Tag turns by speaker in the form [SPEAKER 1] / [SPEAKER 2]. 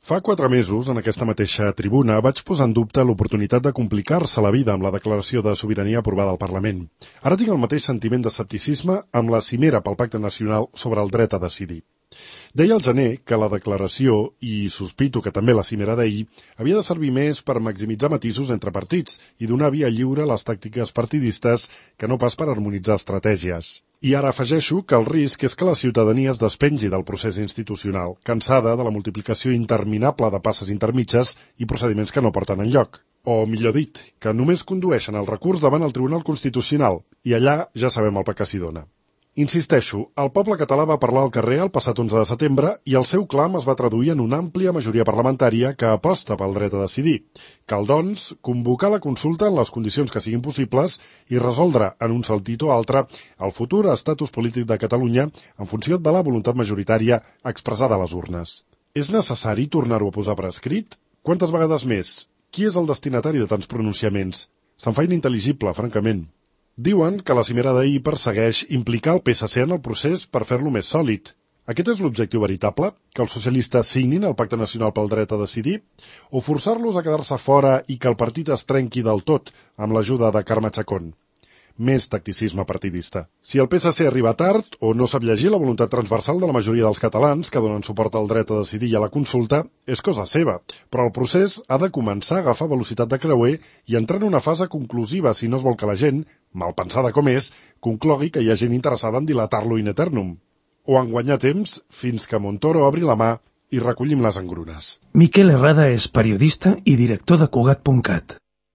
[SPEAKER 1] Fa 4 mesos, en aquesta mateixa tribuna, vaig posar en dubte l'oportunitat de complicar-se la vida amb la declaració de sobirania aprovada al Parlament. Ara tinc el mateix sentiment d'escepticisme amb la cimera pel Pacte Nacional sobre el dret a decidir. Deia al gener que la declaració, i sospito que també la cimera d'ahir, havia de servir més per maximitzar matisos entre partits i donar via lliure a les tàctiques partidistes que no pas per harmonitzar estratègies. I ara afegeixo que el risc és que la ciutadania es despengi del procés institucional, cansada de la multiplicació interminable de passes intermitges i procediments que no porten enlloc. O, millor dit, que només condueixen el recurs davant el Tribunal Constitucional, i allà ja sabem el que s'hi dona. Insisteixo, el poble català va parlar al carrer el passat 11 de setembre i el seu clam es va traduir en una àmplia majoria parlamentària que aposta pel dret a decidir. Cal, doncs, convocar la consulta en les condicions que siguin possibles i resoldre en un sentit o altre el futur estatus polític de Catalunya en funció de la voluntat majoritària expressada a les urnes. És necessari tornar-ho a posar per escrit? Quantes vegades més? Qui és el destinatari de tants pronunciaments? Se'm fa inintel·ligible, francament. Diuen que la cimera d'ahir persegueix implicar el PSC en el procés per fer-lo més sòlid. Aquest és l'objectiu veritable? Que els socialistes signin el Pacte Nacional pel Dret a Decidir? O forçar-los a quedar-se fora i que el partit es trenqui del tot amb l'ajuda de Carme Chacón? Més tacticisme partidista. Si el PSC arriba tard o no sap llegir la voluntat transversal de la majoria dels catalans que donen suport al dret a decidir i a la consulta, és cosa seva, però el procés ha de començar a agafar velocitat de creuer i entrar en una fase conclusiva si no es vol que la gent, mal pensada com és, conclogui que hi ha gent interessada en dilatar-lo in eternum. O en guanyar temps fins que Montoro obri la mà i recollim les engrunes.
[SPEAKER 2] Miquel Herrada és periodista i director de Cugat.cat.